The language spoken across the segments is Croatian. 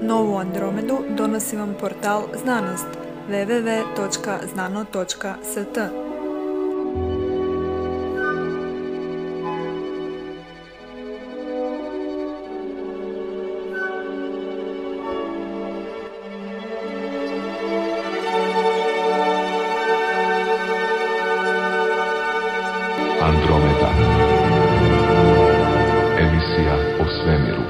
Novu Andromedu donosi vam portal Znanost www.znano.st. Andromeda. Emisija o svemiru.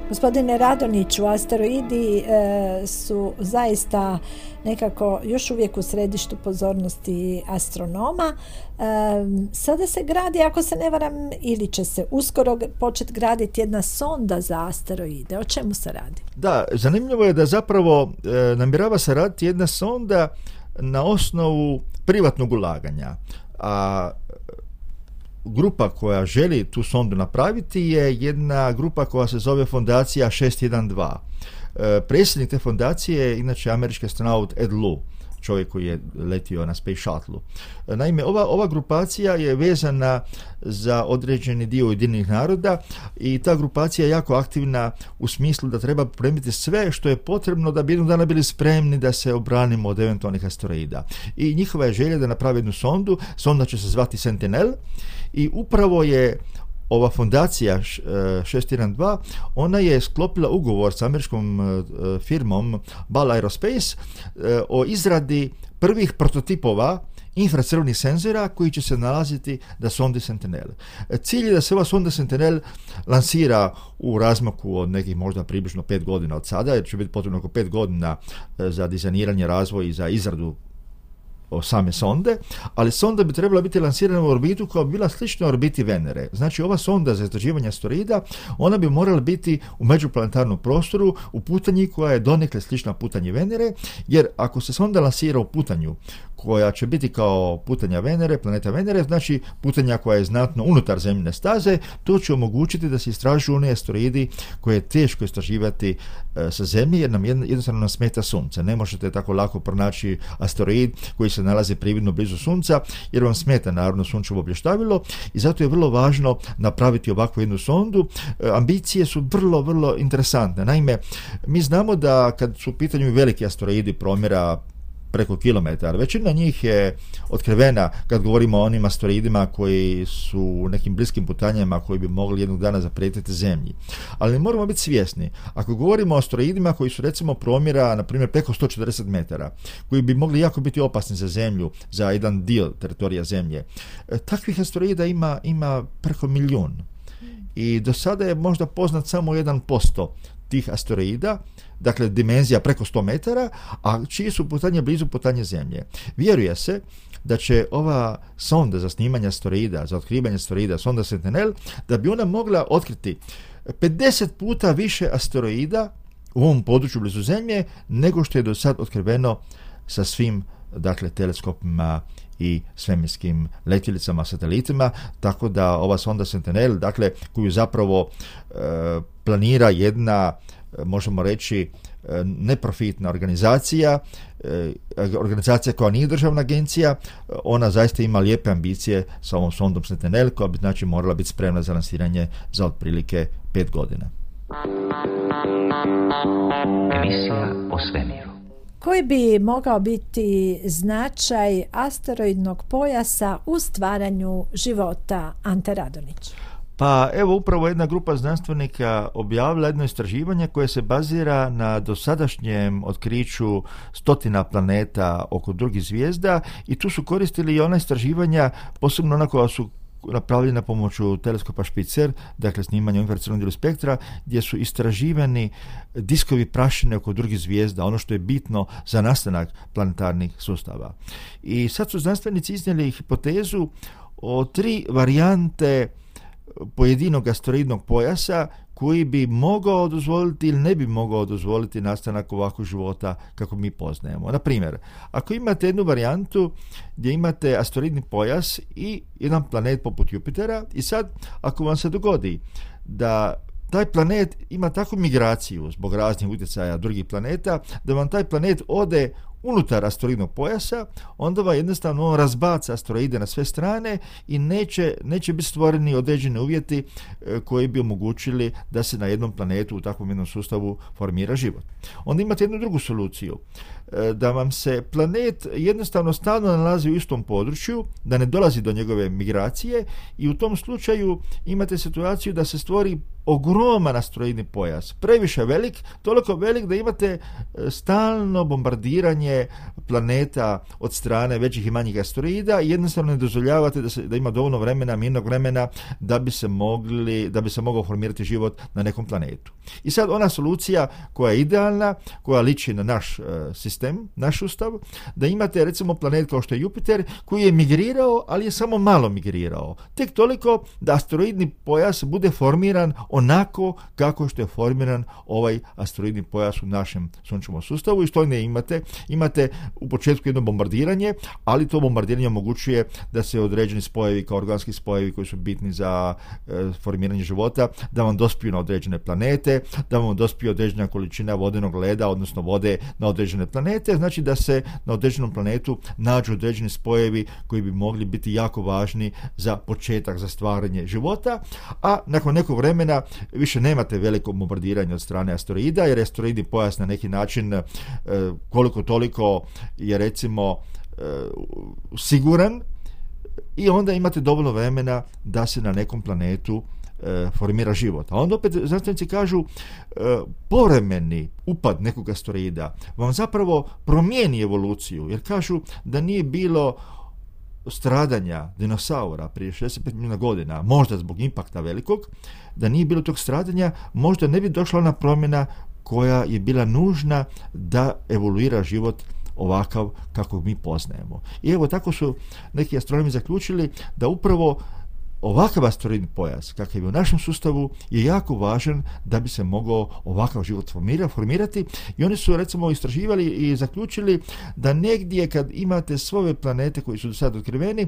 Gospodine Radoniću, asteroidi su zaista nekako još uvijek u središtu pozornosti astronoma. Sada se gradi, ako se ne varam, ili će se uskoro početi graditi jedna sonda za asteroide. O čemu se radi? Da, zanimljivo je da zapravo namjerava se raditi jedna sonda na osnovu privatnog ulaganja. A grupa koja želi tu sondu napraviti je jedna grupa koja se zove Fondacija 612. Predsjednik te fondacije je inače američki astronaut Ed Lu, čovjek koji je letio na Space Shuttle. Naime, ova grupacija je vezana za određeni dio Ujedinjenih naroda i ta grupacija je jako aktivna u smislu da treba pripremiti sve što je potrebno da bi jednog dana bili spremni da se obranimo od eventualnih asteroida. I njihova je želja da napravi jednu sondu, sonda će se zvati Sentinel i upravo je ova fondacija 612, ona je sklopila ugovor s američkom firmom Ball Aerospace o izradi prvih prototipova infracrvenih senzora koji će se nalaziti na sondi Sentinel. Cilj je da se ova sonda Sentinel lansira u razmaku od nekih možda približno 5 godina od sada, jer će biti potrebno oko 5 godina za dizajniranje, razvoj i za izradu same sonde, ali sonda bi trebala biti lansirana u orbitu koja bi bila slična orbiti Venere. Znači, ova sonda za istraživanje asteroida, ona bi morala biti u međuplanetarnom prostoru u putanji koja je donekle slična putanji Venere, jer ako se sonda lansira u putanju koja će biti kao putanja Venere, planeta Venere, znači putanja koja je znatno unutar zemljine staze, to će omogućiti da se istražuju one asteroidi koje je teško istraživati sa Zemlje, jer nam jednostavno nam smeta Sunce. Ne možete tako lako pronaći asteroid koji se nalazi prividno blizu Sunca, jer vam smeta naravno sunčevo blještavilo i zato je vrlo važno napraviti ovakvu jednu sondu. Ambicije su vrlo, vrlo interesantne. Naime, mi znamo da kad su u pitanju veliki asteroidi promjera preko kilometara, većina njih je otkrivena kad govorimo o onim asteroidima koji su u nekim bliskim putanjama koji bi mogli jednog dana zaprijetiti Zemlji. Ali moramo biti svjesni, ako govorimo o asteroidima koji su recimo promjera, na primjer, preko 140 metara, koji bi mogli jako biti opasni za Zemlju, za jedan dio teritorija Zemlje, takvih asteroida ima preko 1 milijun. I do sada je možda poznat samo 1% tih asteroida, dakle dimenzija preko 100 metara, a čiji su putanje blizu putanje Zemlje. Vjeruje se da će ova sonda za snimanje asteroida, za otkrivanje asteroida, sonda Sentinel, da bi ona mogla otkriti 50 puta više asteroida u ovom području blizu Zemlje nego što je do sad otkriveno sa svim, dakle, teleskopima i svemirskim letjelicama, satelitima, tako da ova sonda Sentinel, dakle, koju zapravo planira jedna, možemo reći, neprofitna organizacija koja nije državna agencija, ona zaista ima lijepe ambicije sa ovom sondom Sentinel, koja bi znači morala biti spremna za lansiranje za otprilike 5 godina. Emisija o svemiru. Koji bi mogao biti značaj asteroidnog pojasa u stvaranju života, Ante Radonić? Pa evo, upravo jedna grupa znanstvenika objavila jedno istraživanje koje se bazira na dosadašnjem otkriću 100 planeta oko drugih zvijezda i tu su koristili i ona istraživanja, posebno ona koja su napravljena pomoću teleskopa Spitzer, dakle snimanja infracrvenog dijelu spektra, gdje su istraživani diskovi prašine oko drugih zvijezda, ono što je bitno za nastanak planetarnih sustava. I sad su znanstvenici iznijeli hipotezu o 3 varijante pojedinog asteroidnog pojasa koji bi mogao dozvoliti ili ne bi mogao dozvoliti nastanak ovakvog života kako mi poznajemo. Na primjer, ako imate jednu varijantu gdje imate asteroidni pojas i jedan planet poput Jupitera i sad ako vam se dogodi da taj planet ima takvu migraciju zbog raznih utjecaja drugih planeta, da vam taj planet ode unutar asteroidnog pojasa, onda vam jednostavno on razbaca asteroide na sve strane i neće biti stvoreni određeni uvjeti koji bi omogućili da se na jednom planetu u takvom jednom sustavu formira život. Onda imate jednu drugu soluciju, da vam se planet jednostavno stalno nalazi u istom području, da ne dolazi do njegove migracije i u tom slučaju imate situaciju da se stvori ogroman asteroidni pojas, previše velik, toliko velik da imate stalno bombardiranje planeta od strane većih i manjih asteroida i jednostavno ne dozvoljavate da ima dovoljno vremena, mirnog vremena da bi se mogao formirati život na nekom planetu. I sad ona solucija koja je idealna, koja liči na naš sistem, naš sustav, da imate recimo planet kao što je Jupiter koji je migrirao, ali je samo malo migrirao. Tek toliko da asteroidni pojas bude formiran onako kako što je formiran ovaj asteroidni pojas u našem sunčevom sustavu i što ne imate u početku jedno bombardiranje, ali to bombardiranje omogućuje da se određeni spojevi kao organski spojevi koji su bitni za formiranje života, da vam dospiju na određene planete, da vam dospiju određena količina vodenog leda, odnosno vode na određene planete, znači da se na određenom planetu nađu određeni spojevi koji bi mogli biti jako važni za početak, za stvaranje života, a nakon nekog vremena više nemate veliko bombardiranje od strane asteroida, jer asteroidni pojas na neki način koliko toliko je recimo siguran i onda imate dovoljno vremena da se na nekom planetu formira život. A onda opet znanstvenici kažu povremeni upad nekog asteroida vam zapravo promijeni evoluciju, jer kažu da nije bilo stradanja dinosaura prije 65 milijuna godina, možda zbog impakta velikog, da nije bilo tog stradanja, možda ne bi došla ona promjena koja je bila nužna da evoluira život ovakav kako mi poznajemo. I evo tako su neki astronomi zaključili da upravo ovakav asteroidni pojas, kakav je u našem sustavu, je jako važan da bi se mogao ovakav život formirati i oni su recimo istraživali i zaključili da negdje kad imate sve ove planete koji su do sada otkriveni,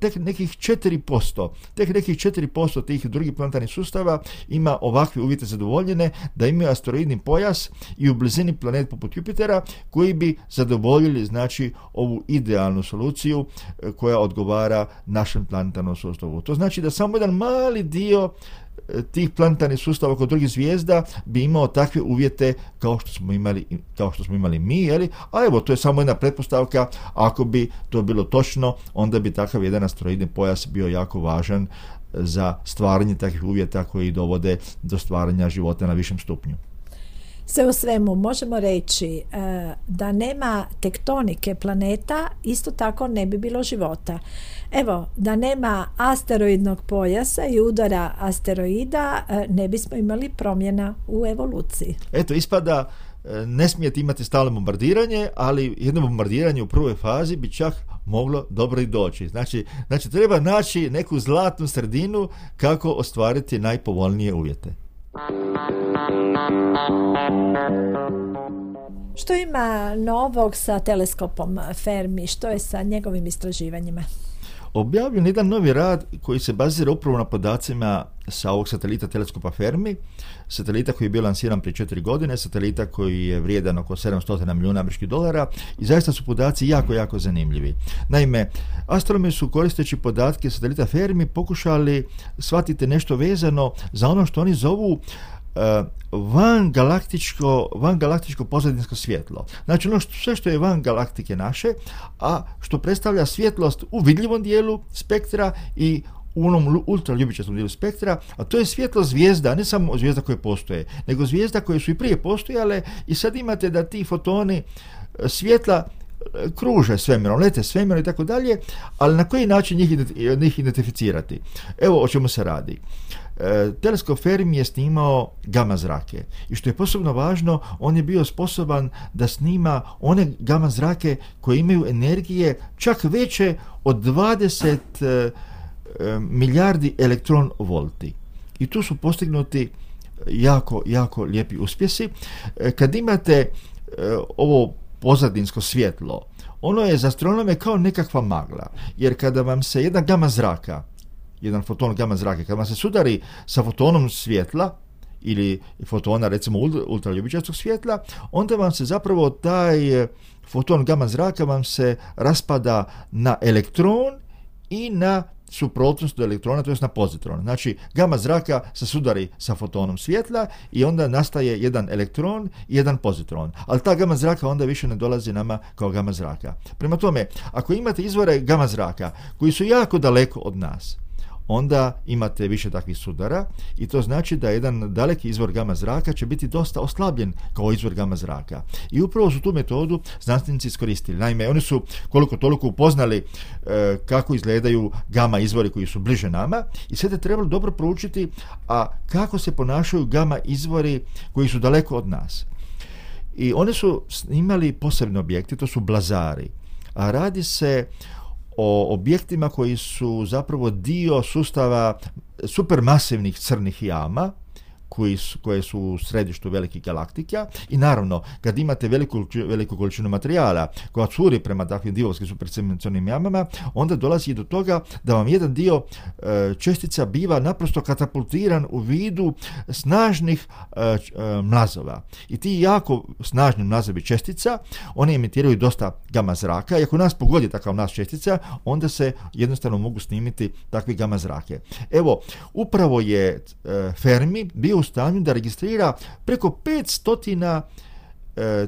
tek nekih 4% tih drugih planetarnih sustava ima ovakve uvjete zadovoljene da imaju asteroidni pojas i u blizini planet poput Jupitera koji bi zadovoljili znači ovu idealnu soluciju koja odgovara našem planetarnom sustavu. To znači da samo jedan mali dio tih planetarnih sustava kod drugih zvijezda bi imao takve uvjete kao što smo imali mi, jeli? A evo, to je samo jedna pretpostavka, ako bi to bilo točno, onda bi takav jedan asteroidni pojas bio jako važan za stvaranje takvih uvjeta koji dovode do stvaranja života na višem stupnju. Sve u svemu možemo reći da nema tektonike planeta, isto tako ne bi bilo života. Evo, da nema asteroidnog pojasa i udara asteroida, ne bismo imali promjena u evoluciji. Eto, ispada ne smijete imati stalno bombardiranje, ali jedno bombardiranje u prvoj fazi bi čak moglo dobro i doći. Znači treba naći neku zlatnu sredinu kako ostvariti najpovoljnije uvjete. Što ima novog sa teleskopom Fermi? Što je sa njegovim istraživanjima? Objavljen jedan novi rad koji se bazira upravo na podacima sa ovog satelita teleskopa Fermi, satelita koji je bio lansiran prije 4 godine, satelita koji je vrijedan oko $700 milijuna i zaista su podaci jako, jako zanimljivi. Naime, astronomi su koristeći podatke satelita Fermi pokušali shvatiti nešto vezano za ono što oni zovu vangalaktičko pozadinsko svjetlo. Znači sve što je van galaktike naše, a što predstavlja svjetlost u vidljivom dijelu spektra i u onom ultraljubičastom dijelu spektra, a to je svjetlo zvijezda, ne samo zvijezda koje postoje, nego zvijezda koje su i prije postojale i sad imate da ti fotoni svjetla kruže svemirom, lete svemirom i tako dalje, ali na koji način njih identificirati? Evo o čemu se radi. Teleskop Fermi je snimao gama zrake i što je posebno važno, on je bio sposoban da snima one gama zrake koje imaju energije čak veće od 20 milijardi elektron volti. I tu su postignuti jako, jako lijepi uspjesi. Kad imate ovo pozadinsko svjetlo, ono je za astronome kao nekakva magla, jer kada vam se jedan foton gama zrake, kada vam se sudari sa fotonom svjetla, ili fotona, recimo ultraljubičastog svjetla, onda vam se zapravo taj foton gama zraka vam se raspada na elektron i na suprotnost do elektrona, to je na pozitron. Znači, gama zraka se sudari sa fotonom svjetla i onda nastaje jedan elektron i jedan pozitron. Ali ta gama zraka onda više ne dolazi nama kao gama zraka. Prema tome, ako imate izvore gama zraka koji su jako daleko od nas, onda imate više takvih sudara i to znači da jedan daleki izvor gama zraka će biti dosta oslabljen kao izvor gama zraka. I upravo su tu metodu znanstvenici iskoristili. Naime, oni su koliko toliko upoznali kako izgledaju gama izvori koji su bliže nama i sad je trebalo dobro proučiti a kako se ponašaju gama izvori koji su daleko od nas. I oni su imali posebne objekte, to su blazari. A radi se o objektima koji su zapravo dio sustava supermasivnih crnih jama koje su u središtu velikih galaktika i naravno kad imate veliku količinu materijala koja curi prema takvim divovskim supercrnim jamama, onda dolazi i do toga da vam jedan dio čestica biva naprosto katapultiran u vidu snažnih mlazova. I ti jako snažni mlazovi čestica, oni emitiraju dosta gama zraka i ako nas pogodi takav mlaz čestica, onda se jednostavno mogu snimiti takvi gama zrake. Evo, upravo je Fermi bio u stanju da registrira preko 500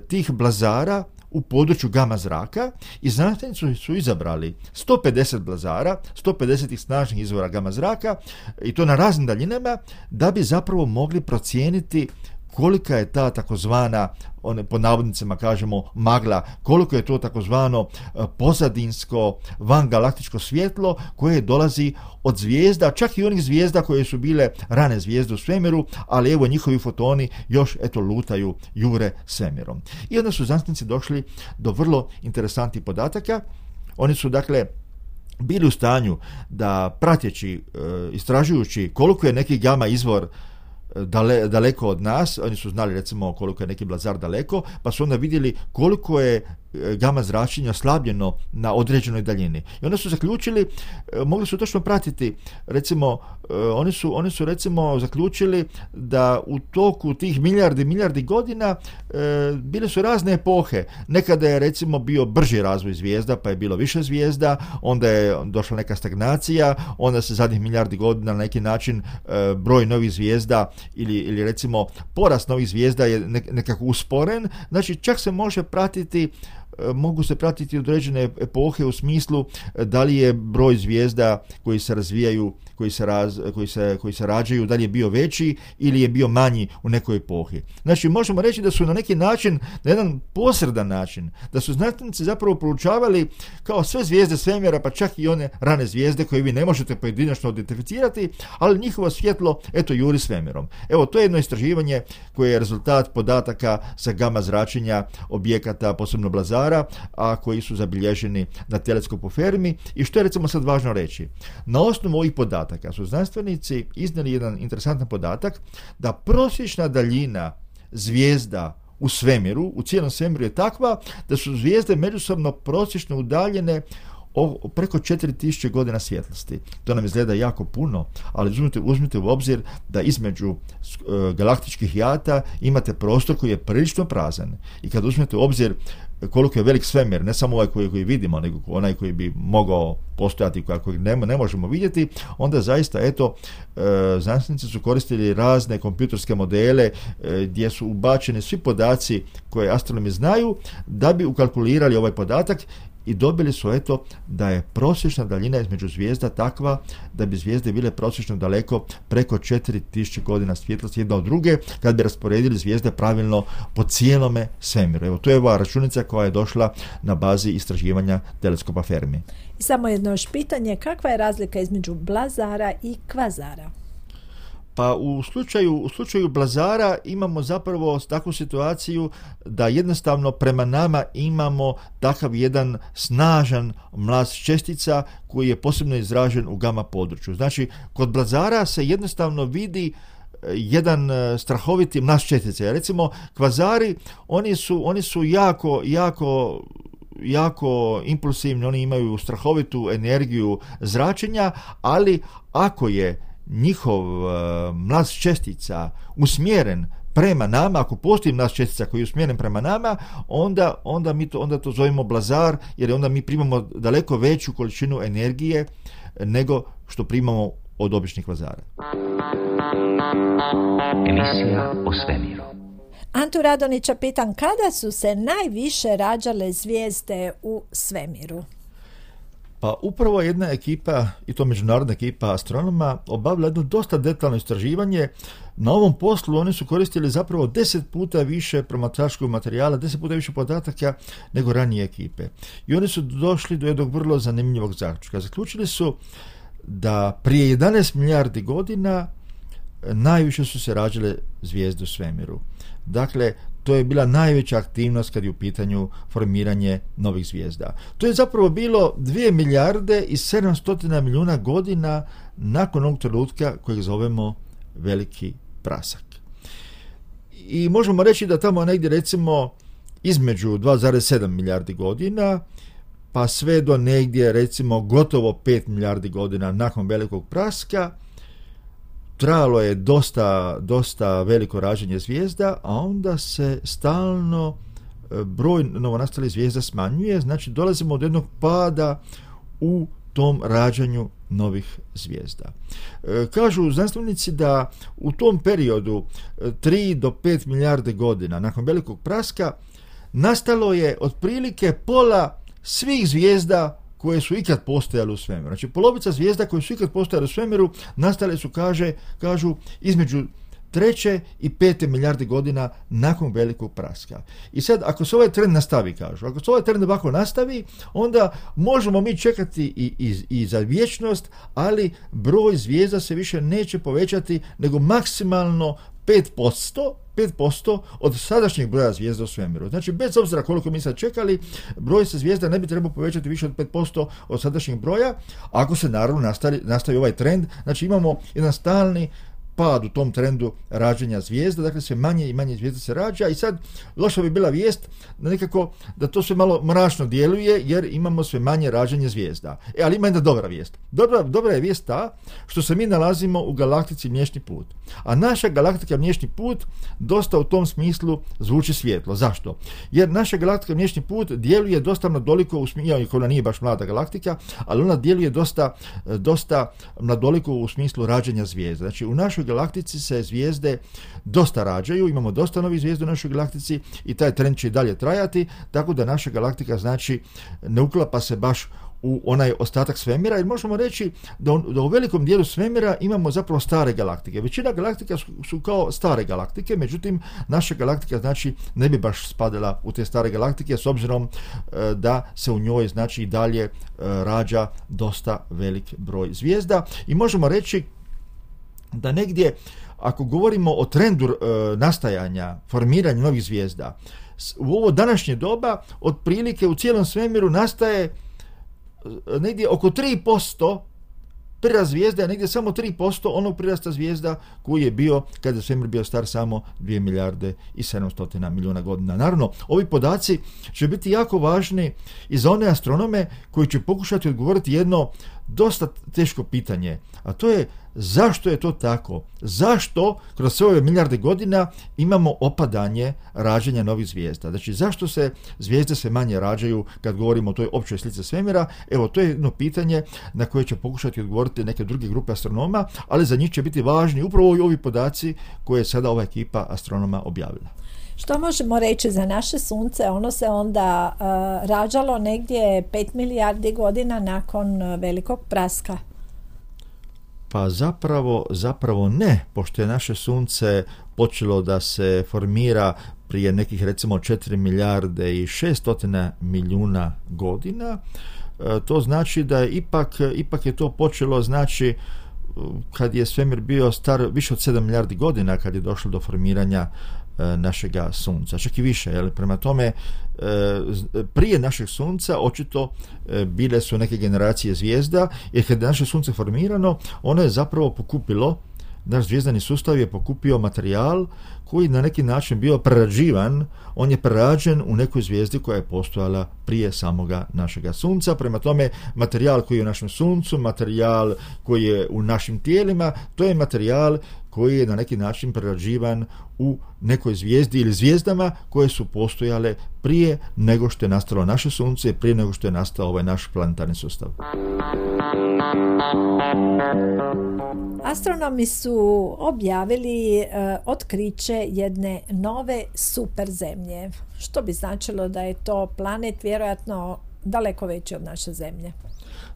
tih blazara u području gama zraka i znanstvenici su izabrali 150 blazara, 150 tih snažnih izvora gama zraka i to na raznim daljinama da bi zapravo mogli procijeniti kolika je ta takozvana, po navodnicima kažemo magla, koliko je to takozvano pozadinsko vangalaktičko svjetlo koje dolazi od zvijezda, čak i onih zvijezda koje su bile rane zvijezde u svemiru, ali evo njihovi fotoni još lutaju, jure svemirom. I onda su znanstvenici došli do vrlo interesantnih podataka. Oni su dakle bili u stanju da prateći, istražujući koliko je neki gama izvor daleko od nas, oni su znali recimo koliko je neki blazar daleko, pa su onda vidjeli koliko je gama zračenja slabljeno na određenoj daljini. I onda su zaključili, mogli su točno pratiti, recimo, oni su recimo zaključili da u toku tih milijardi godina bile su razne epohe. Nekada je recimo bio brži razvoj zvijezda, pa je bilo više zvijezda, onda je došla neka stagnacija, onda se zadnjih milijardi godina na neki način broj novih zvijezda ili recimo porast novih zvijezda je nekako usporen. Znači čak se može pratiti, mogu se pratiti određene epohe u smislu da li je broj zvijezda koji se razvijaju, koji se rađaju, da li je bio veći ili je bio manji u nekoj epohi. Znači možemo reći da su na neki način, na jedan posredan način, da su znanstvenici zapravo proučavali kao sve zvijezde svemira, pa čak i one rane zvijezde koje vi ne možete pojedinačno identificirati, ali njihovo svjetlo juri svemirom. Evo, to je jedno istraživanje koje je rezultat podataka sa gama zračenja objekata, posebno blazara, a koji su zabilježeni na teleskopu Fermi. I što je recimo sad važno reći? Na osnovu ovih podataka su znanstvenici iznijeli jedan interesantan podatak da prosječna daljina zvijezda u svemiru, u cijelom svemiru je takva da su zvijezde međusobno prosječno udaljene preko 4000 godina svjetlosti. To nam izgleda jako puno, ali uzmite u obzir da između galaktičkih jata imate prostor koji je prilično prazan. I kad uzmete u obzir koliko je velik svemir, ne samo ovaj koji vidimo, nego onaj koji bi mogao postojati, kojeg ne možemo vidjeti, onda zaista, znanstvenici su koristili razne kompjuterske modele gdje su ubačeni svi podaci koje astronomi znaju da bi ukalkulirali ovaj podatak i dobili su da je prosječna daljina između zvijezda takva da bi zvijezde bile prosječno daleko preko 4000 godina svjetlosti jedna od druge kad bi rasporedili zvijezde pravilno po cijelome svemiru. Evo, to je ova računica koja je došla na bazi istraživanja teleskopa Fermi. I samo jedno još pitanje, kakva je razlika između blazara i kvazara? Pa u slučaju blazara imamo zapravo takvu situaciju da jednostavno prema nama imamo takav jedan snažan mlaz čestica koji je posebno izražen u gama području. Znači, kod blazara se jednostavno vidi jedan strahoviti mlaz čestica. Recimo, kvazari, oni su jako impulsivni, oni imaju strahovitu energiju zračenja, ali ako je njihov mlaz čestica usmjeren prema nama, ako postoji mlaz čestica koji je usmjeren prema nama, onda to zovemo blazar, jer onda mi primamo daleko veću količinu energije nego što primamo od običnih blazara. Emisija o svemiru. Antu Radonića pitam, kada su se najviše rađale zvijezde u svemiru? Pa upravo jedna ekipa, i to međunarodna ekipa astronoma, obavila jedno dosta detaljno istraživanje. Na ovom poslu oni su koristili zapravo 10 puta više promatračkog materijala, 10 puta više podataka nego ranije ekipe. I oni su došli do jednog vrlo zanimljivog zaključka. Zaključili su da prije 11 milijardi godina najviše su se rađale zvijezde u svemiru. Dakle, to je bila najveća aktivnost kad je u pitanju formiranje novih zvijezda. To je zapravo bilo 2 milijarde i 700 milijuna godina nakon onog trenutka kojeg zovemo veliki prasak. I možemo reći da tamo negdje recimo između 2,7 milijardi godina pa sve do negdje recimo gotovo 5 milijardi godina nakon velikog praska trajalo je dosta veliko rađenje zvijezda, a onda se stalno broj novonastalih zvijezda smanjuje, znači dolazimo do jednog pada u tom rađanju novih zvijezda. Kažu znanstvenici da u tom periodu 3 do 5 milijarde godina nakon velikog praska nastalo je otprilike pola svih zvijezda koje su ikad postojale u svemiru. Znači, polovica zvijezda koje su ikad postojale u svemiru nastale su, kažu, između 3. i 5. milijarde godina nakon velikog praska. I sad, ako se ovaj trend nastavi, kažu, ako se ovaj trend ovako nastavi, onda možemo mi čekati i za vječnost, ali broj zvijezda se više neće povećati nego maksimalno 5% od sadašnjeg broja zvijezda u svemiru. Znači, bez obzira koliko mi sad čekali, broj se zvijezda ne bi trebao povećati više od 5% od sadašnjeg broja, ako se naravno nastavi ovaj trend. Znači, imamo jedan stalni pad u tom trendu rađenja zvijezda, dakle sve manje i manje zvijezda se rađa i sad loša bi bila vijest da nekako da to sve malo mračno djeluje jer imamo sve manje rađenje zvijezda. Ali ima jedna dobra vijest. Dobra je vijest ta što se mi nalazimo u galaktici Mliječni put. A naša galaktika Mliječni put dosta u tom smislu zvuči svjetlo. Zašto? Jer naša galaktika Mliječni put djeluje dosta mladoliko u smislu, iako ona nije baš mlada galaktika, ali ona djeluje dosta mladoliko u smislu rađenja zvijezda. Znači u našoj galaktici se zvijezde dosta rađaju, imamo dosta novih zvijezda u našoj galaktici i taj trend će i dalje trajati, tako da naša galaktika znači ne uklapa se baš u onaj ostatak svemira, jer možemo reći da u velikom dijelu svemira imamo zapravo stare galaktike. Većina galaktika su kao stare galaktike, međutim naša galaktika znači ne bi baš spadala u te stare galaktike s obzirom da se u njoj znači i dalje rađa dosta velik broj zvijezda i možemo reći da negdje, ako govorimo o trendu nastajanja, formiranja novih zvijezda, u ovo današnje doba, otprilike u cijelom svemiru nastaje negdje oko 3%, prirast zvijezda je negdje samo 3% onog prirasta zvijezda koji je bio kada je svemir bio star samo 2 milijarde i 700 milijuna godina. Naravno, ovi podaci će biti jako važni i za one astronome koji će pokušati odgovoriti jedno dosta teško pitanje, a to je zašto je to tako? Zašto kroz sve ove milijarde godina imamo opadanje rađanja novih zvijezda? Znači, zašto se zvijezde sve manje rađaju kad govorimo o toj općoj slici svemira? Evo, to je jedno pitanje na koje će pokušati odgovoriti neke druge grupe astronoma, ali za njih će biti važni upravo ovi podaci koje je sada ova ekipa astronoma objavila. Što možemo reći za naše sunce? Ono se onda rađalo negdje 5 milijardi godina nakon velikog praska. Pa zapravo ne, pošto je naše sunce počelo da se formira prije nekih recimo 4 milijarde i 600 milijuna godina. To znači da ipak je to počelo znači kad je svemir bio star više od 7 milijardi godina kad je došlo do formiranja našega sunca, čak i više, jel? Prema tome prije našeg sunca očito bile su neke generacije zvijezda, jer kad je naše sunce formirano, ono je zapravo pokupilo naš zvijezdani sustav je pokupio materijal koji na neki način bio prerađivan, on je prerađen u nekoj zvijezdi koja je postojala prije samoga našega sunca. Prema tome, materijal koji je u našem suncu, materijal koji je u našim tijelima, to je materijal koji je na neki način prerađivan u nekoj zvijezdi ili zvijezdama koje su postojale prije nego što je nastalo naše sunce, prije nego što je nastao ovaj naš planetarni sustav. Astronomi su objavili otkriće jedne nove super zemlje, što bi značilo da je to planet vjerojatno daleko veći od naše zemlje.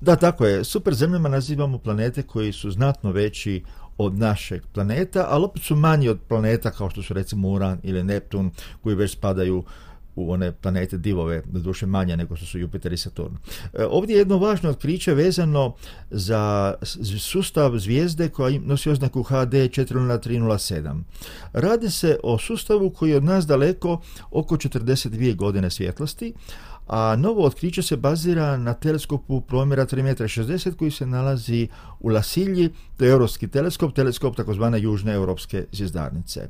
Da, tako je. Super zemljama nazivamo planete koji su znatno veći od našeg planeta, ali opet su manji od planeta kao što su recimo Uran ili Neptun, koji već spadaju u one planete divove, doduše manje nego što su Jupiter i Saturn. Ovdje je jedno važno otkriće vezano za sustav zvijezde koja nosi oznaku HD 40307. Radi se o sustavu koji je od nas daleko oko 42 godine svjetlosti, a novo otkriće se bazira na teleskopu promjera 3,60 m koji se nalazi u Lasilji, to je europski teleskop takozvane južne europske zvjezdarnice.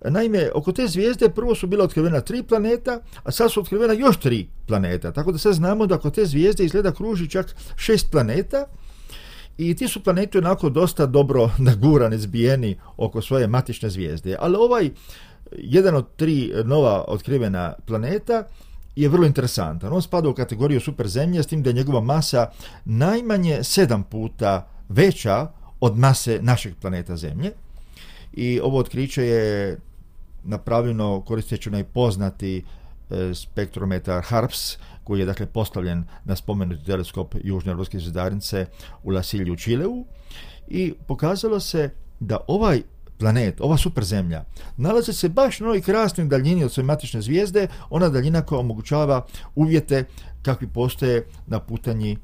Naime, oko te zvijezde prvo su bila otkrivena 3 planeta, a sad su otkrivena još 3 planeta, tako da sad znamo da oko te zvijezde izgleda kruži čak 6 planeta, i ti su planeti onako dosta dobro nagurani, zbijeni oko svoje matične zvijezde. Ali ovaj jedan od 3 nova otkrivena planeta je vrlo interesantan. On spada u kategoriju super zemlje, s tim da je njegova masa najmanje 7 puta veća od mase našeg planeta Zemlje. I ovo otkriće je napravljeno koristeći onaj poznati spektrometar HARPS, koji je dakle postavljen na spomenuti teleskop Južne europske zvjezdarnice u Lasilju u Čileu, i pokazalo se da ovaj planet, ova super zemlja, nalazi se baš na ovoj krasnoj daljini od svoje matične zvijezde, ona daljina koja omogućava uvjete kakvi postoje na putanji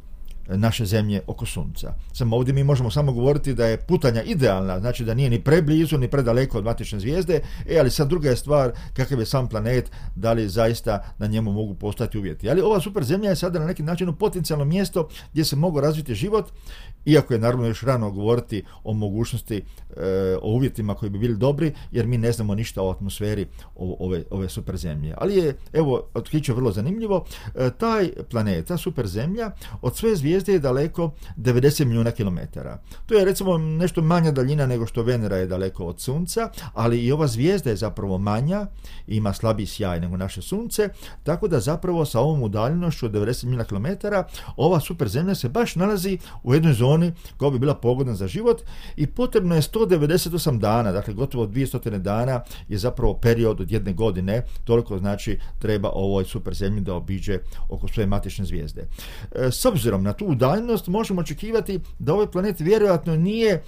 naše zemlje oko sunca. Samo ovdje mi možemo samo govoriti da je putanja idealna, znači da nije ni preblizu ni predaleko od matične zvijezde, ali sad druga je stvar kakav je sam planet, da li zaista na njemu mogu postojati uvjeti. Ali ova super zemlja je sada na neki način potencijalno mjesto gdje se mogu razviti život, iako je naravno još rano govoriti o mogućnosti, o uvjetima koji bi bili dobri, jer mi ne znamo ništa o atmosferi ove super zemlje. Ali je, evo, otkriće vrlo zanimljivo, taj planet, ta super zemlja, od svoje zvijezde je daleko 90 milijuna kilometara. To je recimo nešto manja daljina nego što Venera je daleko od Sunca, ali i ova zvijezda je zapravo manja, ima slabiji sjaj nego naše Sunce, tako da zapravo sa ovom udaljenošću od 90 milijuna kilometara ova super zemlja se baš nalazi u jednoj zoni koja bi bila pogodna za život, i potrebno je 198 dana, dakle gotovo 200 dana je zapravo period od 1 godine, toliko znači treba ovoj super zemlji da obiđe oko svoje matične zvijezde. S obzirom na tu udaljenost možemo očekivati da ovaj planet vjerojatno nije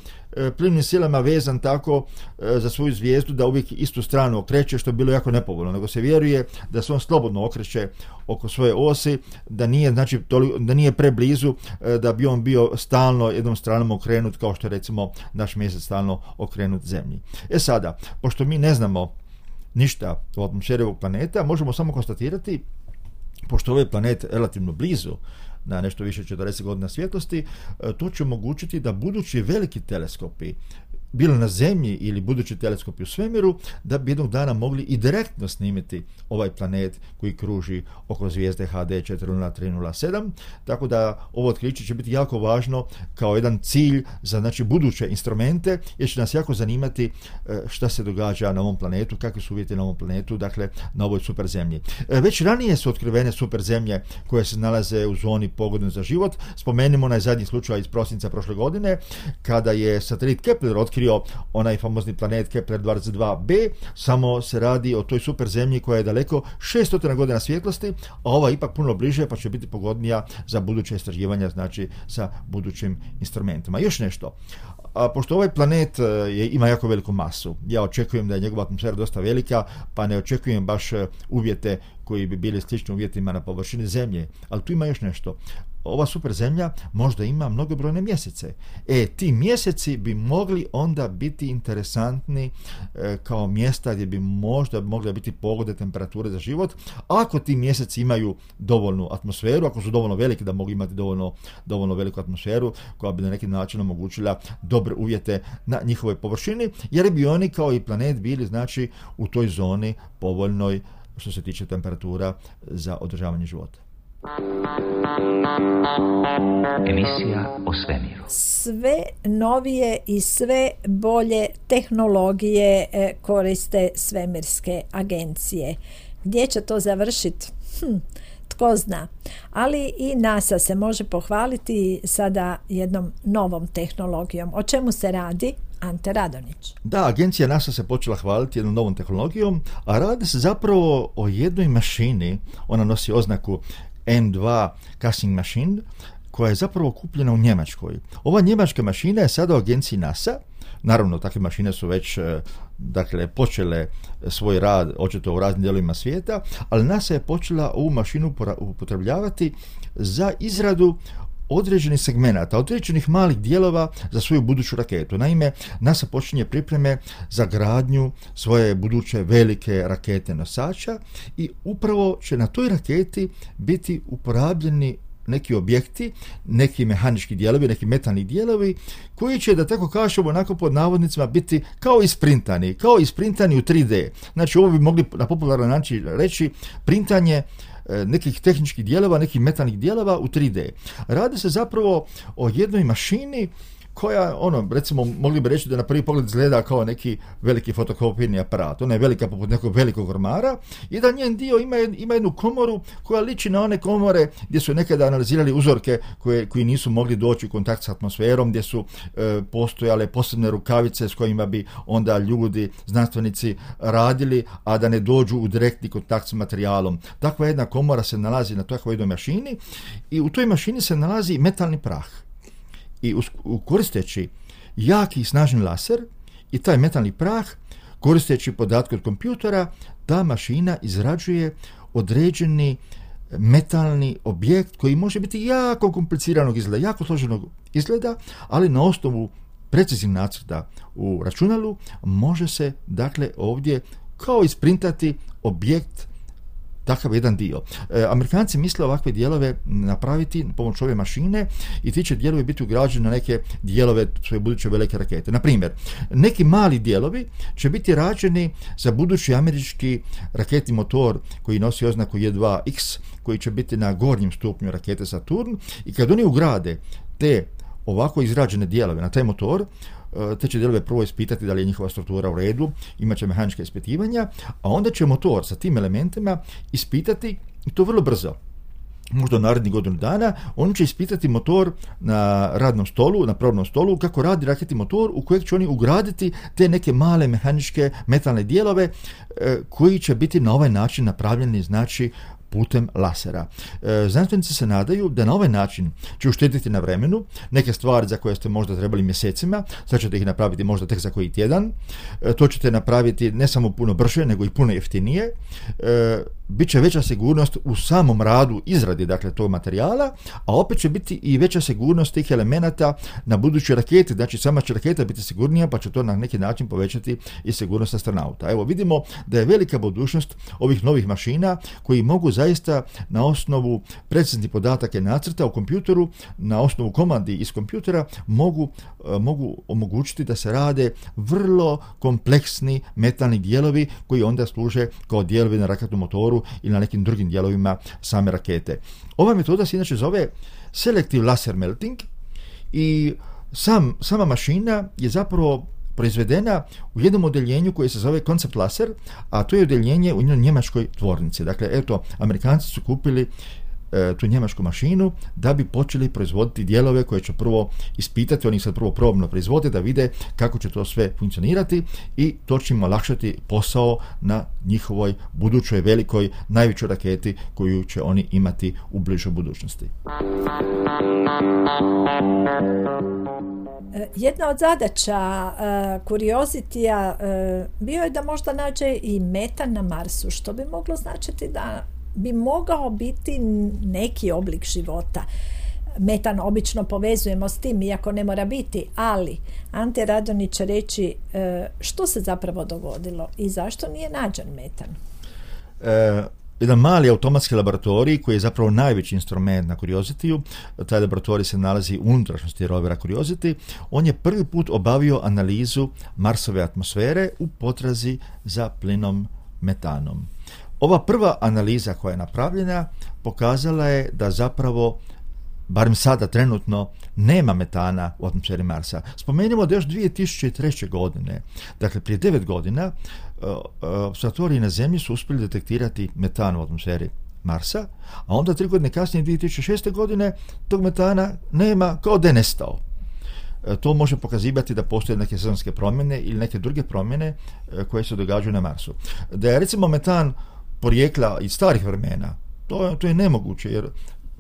plimnim silama vezan tako za svoju zvijezdu da uvijek istu stranu okreće, što je bilo jako nepovoljno, nego se vjeruje da se on slobodno okreće oko svoje osi, da nije, znači, da nije preblizu, da bi on bio stalno jednom stranom okrenut, kao što je recimo naš mjesec stalno okrenut Zemlji. Sada, pošto mi ne znamo ništa o atmosferi ovog planeta, možemo samo konstatirati, pošto ovaj planet relativno blizu, na nešto više 40 godina svjetlosti, to će omogućiti da budući veliki teleskopi, bilo na Zemlji ili budući teleskopi u svemiru, da bi jednog dana mogli i direktno snimiti ovaj planet koji kruži oko zvijezde HD 40307, tako da ovo otkriće će biti jako važno kao jedan cilj za, znači, buduće instrumente, jer će nas jako zanimati šta se događa na ovom planetu, kakvi su uvjeti na ovom planetu, dakle na ovoj super zemlji. Već ranije su otkrivene super zemlje koje se nalaze u zoni pogodnoj za život. Spomenimo onaj zadnji slučaj iz prosinca prošle godine, kada je satelit Kepler otkrio onaj famozni planet Kepler 22b, samo se radi o toj super zemlji koja je daleko 600 godina svjetlosti, a ova ipak puno bliže, pa će biti pogodnija za buduće istraživanja, znači sa budućim instrumentima. Još nešto, pošto ovaj planet ima jako veliku masu, ja očekujem da je njegova atmosfera dosta velika, pa ne očekujem baš uvjete koji bi bili slični uvjetima na površini Zemlje, ali tu ima još nešto. ova super zemlja možda ima mnogobrojne mjesece. Ti mjeseci bi mogli onda biti interesantni kao mjesta gdje bi možda mogle biti pogodne temperature za život, ako ti mjeseci imaju dovoljnu atmosferu, ako su dovoljno veliki da mogu imati dovoljno veliku atmosferu koja bi na neki način omogućila dobre uvjete na njihovoj površini, jer bi oni kao i planet bili znači u toj zoni povoljnoj što se tiče temperatura za održavanje života. Emisija o svemiru. Sve novije i sve bolje tehnologije koriste svemirske agencije. Gdje će to završiti? Tko zna. Ali i NASA se može pohvaliti sada jednom novom tehnologijom. O čemu se radi? Ante Radonić. Da, agencija NASA se počela hvaliti jednom novom tehnologijom, a radi se zapravo o jednoj mašini, ona nosi oznaku N2 casting machine, koja je zapravo kupljena u Njemačkoj. Ova njemačka mašina je sada u agenciji NASA. Naravno, takve mašine su već počele svoj rad očito u raznim dijelovima svijeta, ali NASA je počela ovu mašinu upotrebljavati za izradu određenih segmenata, određenih malih dijelova za svoju buduću raketu. Naime, NASA počinje pripreme za gradnju svoje buduće velike rakete nosača i upravo će na toj raketi biti uporabljeni neki objekti, neki mehanički dijelovi, neki metalni dijelovi koji će, da tako kažemo, onako pod navodnicima biti kao isprintani u 3D. Znači, ovo bi mogli na popularan način reći printanje nekih tehničkih dijelova, nekih metalnih dijelova u 3D. Radi se zapravo o jednoj mašini koja, recimo, mogli bi reći da na prvi pogled izgleda kao neki veliki fotokopirni aparat. Ona je velika poput nekog velikog ormara i da njen dio ima jednu komoru koja liči na one komore gdje su nekada analizirali uzorke koji nisu mogli doći u kontakt s atmosferom, gdje su postojale posebne rukavice s kojima bi onda ljudi, znanstvenici radili, a da ne dođu u direktni kontakt s materijalom. Takva jedna komora se nalazi na takvoj jednoj mašini i u toj mašini se nalazi metalni prah. I koristeći jaki i snažni laser i taj metalni prah, koristeći podatke od kompjutera, ta mašina izrađuje određeni metalni objekt koji može biti jako kompliciranog izgleda, jako složenog izgleda, ali na osnovu preciznih nacrta u računalu može se dakle ovdje kao isprintati objekt, takav jedan dio. Amerikanci misle ovakve dijelove napraviti pomoću ove mašine i ti će dijelovi biti ugrađeni na neke dijelove svoje buduće velike rakete. Na primjer, neki mali dijelovi će biti rađeni za budući američki raketni motor koji nosi oznaku J2X, koji će biti na gornjem stupnju rakete Saturn, i kad oni ugrade te ovako izrađene dijelove na taj motor, te će dijelove prvo ispitati da li je njihova struktura u redu, imat će mehanička ispitivanja, a onda će motor sa tim elementima ispitati, i to vrlo brzo, možda u narednih godinu dana, oni će ispitati motor na radnom stolu, na probnom stolu, kako radi raketni motor u kojeg će oni ugraditi te neke male mehaničke metalne dijelove koji će biti na ovaj način napravljeni, znači, putem lasera. Znanstvenici se nadaju da na ovaj način će uštediti na vremenu neke stvari za koje ste možda trebali mjesecima, sad ćete ih napraviti možda tek za koji tjedan. To ćete napraviti ne samo puno brže, nego i puno jeftinije. Biće veća sigurnost u samom radu izradi, dakle, tog materijala, a opet će biti i veća sigurnost tih elemenata na budućoj raketi. Znači, sama će raketa biti sigurnija, pa će to na neki način povećati i sigurnost astronauta. Evo, vidimo da je velika budućnost ovih novih mašina koji mogu zaista na osnovu preciznih podataka i nacrta u kompjuteru, na osnovu komandi iz kompjutera mogu omogućiti da se rade vrlo kompleksni metalni dijelovi koji onda služe kao dijelovi na raketnom motoru ili na nekim drugim dijelovima same rakete. Ova metoda se inače zove Selective Laser Melting i sama mašina je zapravo proizvedena u jednom odeljenju koje se zove Concept Laser, a to je odeljenje u njemačkoj tvornici. Dakle, eto, Amerikanci su kupili tu njemačku mašinu da bi počeli proizvoditi dijelove koje će prvo ispitati, oni sad prvo probno proizvode da vide kako će to sve funkcionirati i to će im olakšati posao na njihovoj budućoj velikoj, najvećoj raketi koju će oni imati u bližoj budućnosti. Jedna od zadaća Curiosity-a bio je da možda nađe i metan na Marsu, što bi moglo značiti da bi mogao biti neki oblik života. metan obično povezujemo s tim, iako ne mora biti, ali Ante Radonjić će reći što se zapravo dogodilo i zašto nije nađen metan. Jedan mali automatski laboratorij koji je zapravo najveći instrument na Curiosity-u, taj laboratorij se nalazi u unutrašnjosti rovera Curiosity, on je prvi put obavio analizu Marsove atmosfere u potrazi za plinom metanom. Ova prva analiza koja je napravljena pokazala je da zapravo, barem sada trenutno, nema metana u atmosferi Marsa. Spomenimo da još 2003. godine, dakle prije 9 godina, observatoriji na Zemlji su uspjeli detektirati metan u atmosferi Marsa, a onda 3 godine kasnije, 2006. godine, tog metana nema, kao da je nestao. To može pokazivati da postoje neke sezonske promjene ili neke druge promjene koje se događaju na Marsu. Da je recimo metan porijekla iz starih vremena, to je nemoguće, jer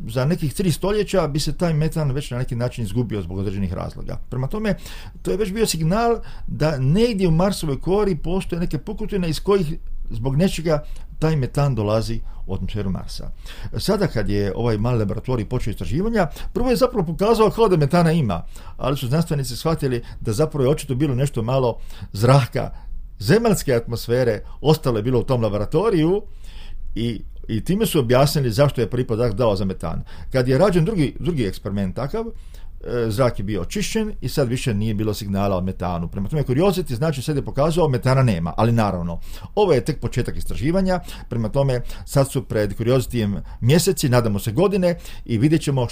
za nekih 3 stoljeća bi se taj metan već na neki način izgubio zbog određenih razloga. Prema tome, to je već bio signal da negdje u Marsovoj kori postoje neke pukotine iz kojih zbog nečega taj metan dolazi u atmosferu Marsa. Sada kad je ovaj mali laboratorij počeo istraživanja, prvo je zapravo pokazao kao da metana ima, ali su znanstvenici shvatili da zapravo je očito bilo nešto malo zraka zemaljske atmosfere ostalo je bilo u tom laboratoriju i time su objasnili zašto je prvi podatak dao za metan. Kad je rađen drugi eksperiment takav, zrak je bio očišćen i sad više nije bilo signala o metanu. Prema tome, Curiosity znači sad je pokazao metana nema, ali naravno, ovo je tek početak istraživanja, prema tome sad su pred Curiosityjem mjeseci, nadamo se godine i vidjet ćemo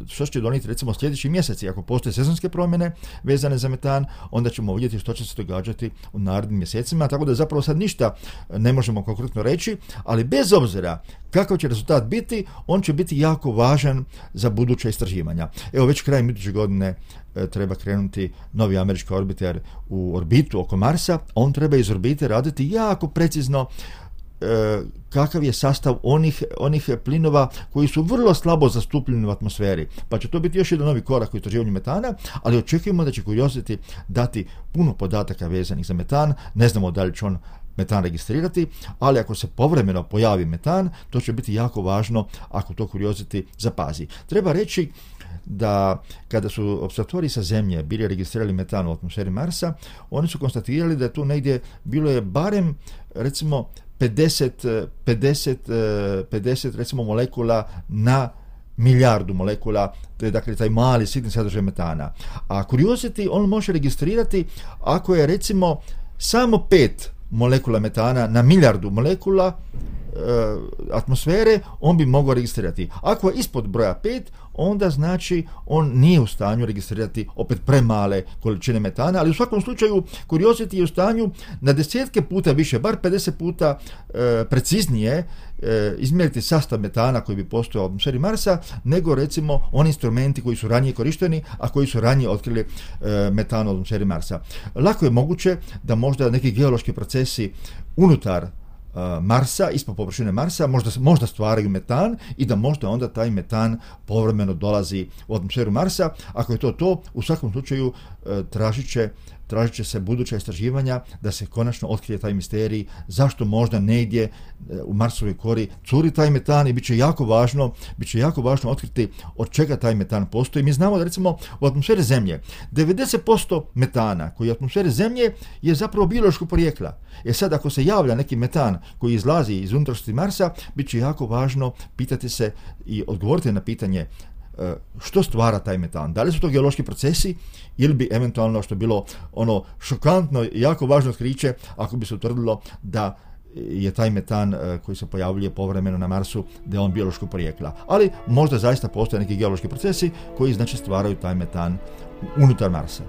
što će donijeti recimo sljedeći mjeseci. Ako postoje sezonske promjene vezane za metan, onda ćemo vidjeti što će se događati u narednim mjesecima, tako da zapravo sad ništa ne možemo konkretno reći, ali bez obzira kakav će rezultat biti, on će biti jako važan za buduća istraživanja. Evo već krajem iduće godine treba krenuti novi američki orbiter u orbitu oko Marsa. On treba iz orbite raditi jako precizno kakav je sastav onih plinova koji su vrlo slabo zastupljeni u atmosferi. Pa će to biti još jedan novi korak u istraživanju metana, ali očekujemo da će Curiosity dati puno podataka vezanih za metan. Ne znamo da li će on metan registrirati, ali ako se povremeno pojavi metan, to će biti jako važno ako to Curiosity zapazi. Treba reći da kada su observatoriji sa Zemlje bili registrirali metan u atmosferi Marsa, oni su konstatirali da je tu negdje bilo je barem recimo 50 recimo molekula na milijardu molekula, to je dakle taj mali sitni sadržaj metana. A Curiosity on može registrirati ako je recimo samo 5 molekula metana na milijardu molekula atmosfere, on bi mogao registrirati. Ako je ispod broja 5, onda znači on nije u stanju registrirati opet premale količine metana, ali u svakom slučaju Curiosity je u stanju na desetke puta više, bar 50 puta preciznije izmjeriti sastav metana koji bi postojao u atmosferi Marsa, nego recimo oni instrumenti koji su ranije korišteni, a koji su ranije otkrili metan u atmosferi Marsa. Lako je moguće da možda neki geološki procesi unutar Marsa, ispod površine Marsa, možda stvaraju metan i da možda onda taj metan povremeno dolazi u atmosferu Marsa. Ako je to, u svakom slučaju tražit će se buduća istraživanja da se konačno otkrije taj misterij, zašto možda negdje u Marsovoj kori curi taj metan i bit će jako važno otkriti od čega taj metan postoji. Mi znamo da recimo u atmosferi Zemlje 90% metana koji je u atmosferi Zemlje je zapravo biološkog porijekla. Sad ako se javlja neki metan koji izlazi iz unutrašnjosti Marsa, bit će jako važno pitati se i odgovoriti na pitanje što stvara taj metan. Da li su to geološki procesi ili bi eventualno, što je bilo ono šokantno i jako važno otkriće, ako bi se utvrdilo da je taj metan koji se pojavljuje povremeno na Marsu, da je on biološkog porijekla. Ali možda zaista postoje neki geološki procesi koji znači stvaraju taj metan unutar Marsa.